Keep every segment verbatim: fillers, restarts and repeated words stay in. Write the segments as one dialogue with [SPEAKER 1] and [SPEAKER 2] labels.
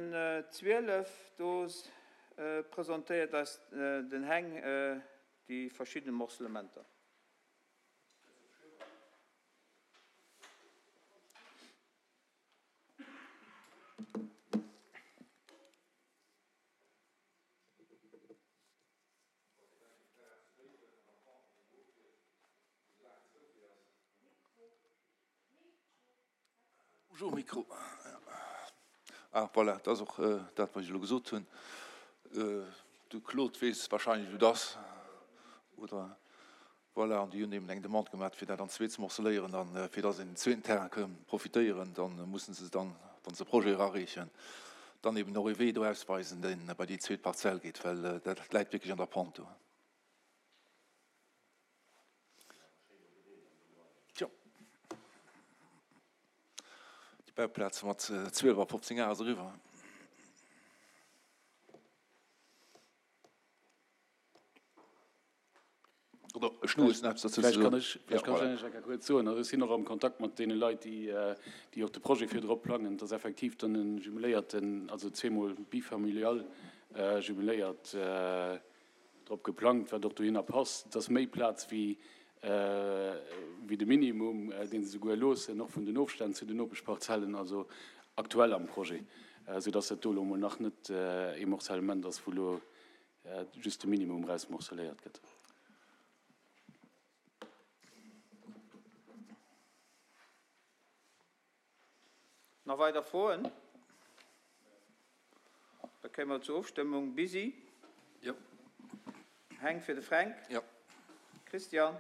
[SPEAKER 1] Den zwielef, do presentéiert eis den Heng déi verschidde Morcellementer.
[SPEAKER 2] Bonjour, Mikro. Ah, voilà, dat ass och dat, wat ech elo gesot hunn. De Claude weess wahrscheinlech, wou et ass, oder? Voilà, an déi hunn eben eng Demande gemaach, fir dat an zwee ze morceléieren. A fir dass een den zweeten Terrain ka profitéieren, da mussen se dann, wa se Projet erareechen, dann eben och ee Wee do ausweisen, dee bei déi zweet Parzell geet, well dat läit wierklech an der Pente do. Tjo, déi Bauplaz mat zwielef a fofzéng Ar ass eriwwer. Oder ech nu hues eppes dozou ze
[SPEAKER 3] Vläicht kann
[SPEAKER 2] soen.
[SPEAKER 3] ech, vläicht kann ech eng Kéier kuerz soen. Also ech sinn och am Kontakt mat deene Leit, déi, déi och de Projet virdru plangen. Et ass effektiv dann e jumeléierten, also zweemol bifamilial jumeléiert drop geplangt, wat och dohinner passt. Et ass méi Plaz wéi, wéi de Minimum, dee se souguer loossen, och vun den Ofstänn zu den Nopeschparzellen, also aktuell am Projet, soudass dat do elo emol nach net ee Morcellement ass, wou elo just de Minimum erausmorceléiert gëtt.
[SPEAKER 1] Nach weider Froen? Da kéime mer zur Ofstëmmung. Bisi?
[SPEAKER 2] Jo.
[SPEAKER 1] Heng fir de Fränk?
[SPEAKER 2] Jo.
[SPEAKER 1] Christian?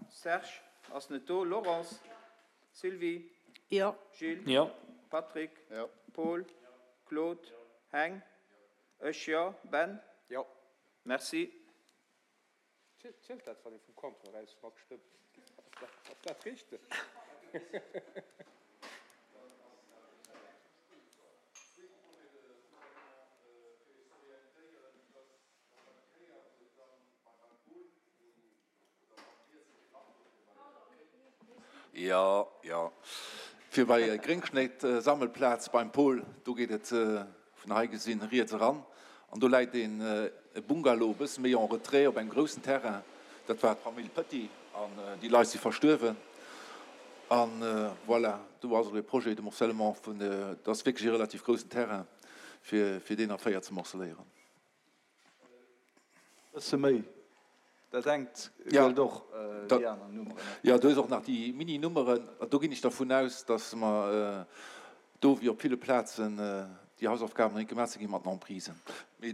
[SPEAKER 1] Serge ass net do. Laurence? Sylvie?
[SPEAKER 4] Jo.
[SPEAKER 1] Gilles?
[SPEAKER 5] Jo.
[SPEAKER 1] Patrick?
[SPEAKER 6] Jo.
[SPEAKER 1] Paul? Claude? Heng? Ech jo. Ben?
[SPEAKER 6] Jo.
[SPEAKER 1] Merci.
[SPEAKER 6] Zielt dat, wann ee vum Comptoir aus matstëmmt? Ass dat richteg?
[SPEAKER 2] Jo, jo. Fir bei Gréngschnétt-Sammelplaz beim Paul, do geet et vun hei gesinn riets eran an do läit een e Bungalow e bësse méi en retrait op engem groussen Terrain. Dat war d'Famill Petit an déi Leit si verstuerwen. An voilà, do ass elo e Projet de morcellement vun, dat ass wierklech e relativ groussen Terrain, fir fir deen a véier ze morceléieren.
[SPEAKER 7] Bësse méi. Dat engt gëllt och déi aner Nummeren.
[SPEAKER 2] Jo, do hues och nach déi Mini-Nummeren. Do ginn ech dervun aus, datt mer do, wéi op ville Plazen, déi Hausaufgaben nach net gemaach si ginn mat den Emprisen. Mee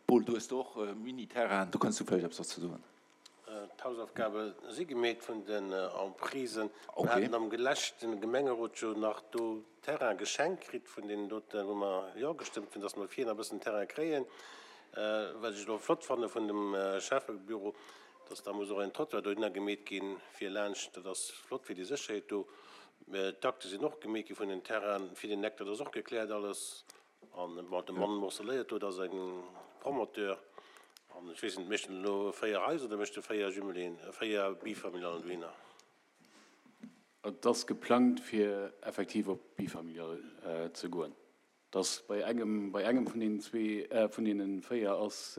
[SPEAKER 2] Paul, do hues de och Mini-Terrainen, do kënns du vläicht eppes dozou soen.
[SPEAKER 8] D'Hausaufgabe si gemeet vun den Emprisen. Mir haten am leschte Gemengerot jo nach do Terrain geschenkt kritt vun deenen doten, wou mer Jo gestëmmt hunn, datt mer vir nach e bëssen Terrain kréien. Wat ech elo flott fanne vun dem Schäffebüro, dass da muss och en Trottoir dohinner gemeet ginn, fir laanscht, dat ass flott fir déi Sécherheet do. D'Akte sinn och gemeet gi vun den Terrainen fir den Eck, dat ass och gekläert alles. An bon, de Mann morceléiert do, dat ass e Promoteur. An ech weess net, mécht en elo véier Haiser oder mécht e véier Jumeléen, véier Bifamilialen dohinner?
[SPEAKER 3] Et ass geplangt, fir effektiv op bifamilial ze goen. Dass bei engem, bei engem vun deenen zwee, vun deene véier ass,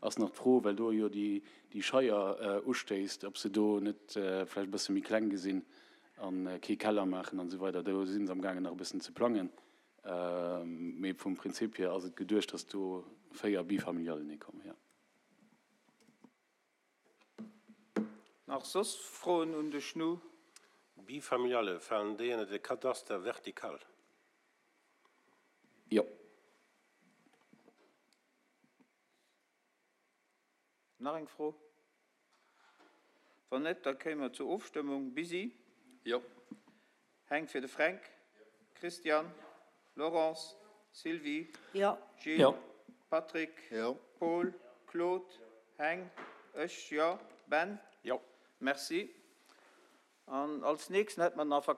[SPEAKER 3] ass nach d'Fro, well do jo déi, déi Scheier ustéisst, ob se do net vläicht e bësse méi kleng gesinn a kee Keller maachen an esou weider. Do si se amgaangen nach e bëssen ze plangen. Mee vum Prinzip hier ass et geduecht, dass do véier Bifamilialen hikommen, jo.
[SPEAKER 1] Nach soss Froen un de Schnu?
[SPEAKER 8] Bifamiliale, falen déi ënner de Kadaster vertical?
[SPEAKER 3] Jo.
[SPEAKER 1] Nach eng Fro? Wann net, da kéime mer zur Ofstëmmung. Bisi?
[SPEAKER 2] Jo.
[SPEAKER 1] Heng fir de Fränk? Christian? Laurence? Sylvie?
[SPEAKER 4] Jo.
[SPEAKER 1] Gilles?
[SPEAKER 5] Jo.
[SPEAKER 1] Patrick?
[SPEAKER 6] Jo.
[SPEAKER 1] Paul? Claude? Heng? Ech jo. Ben?
[SPEAKER 6] Jo.
[SPEAKER 1] Merci. An als nächsten hätte mer nach.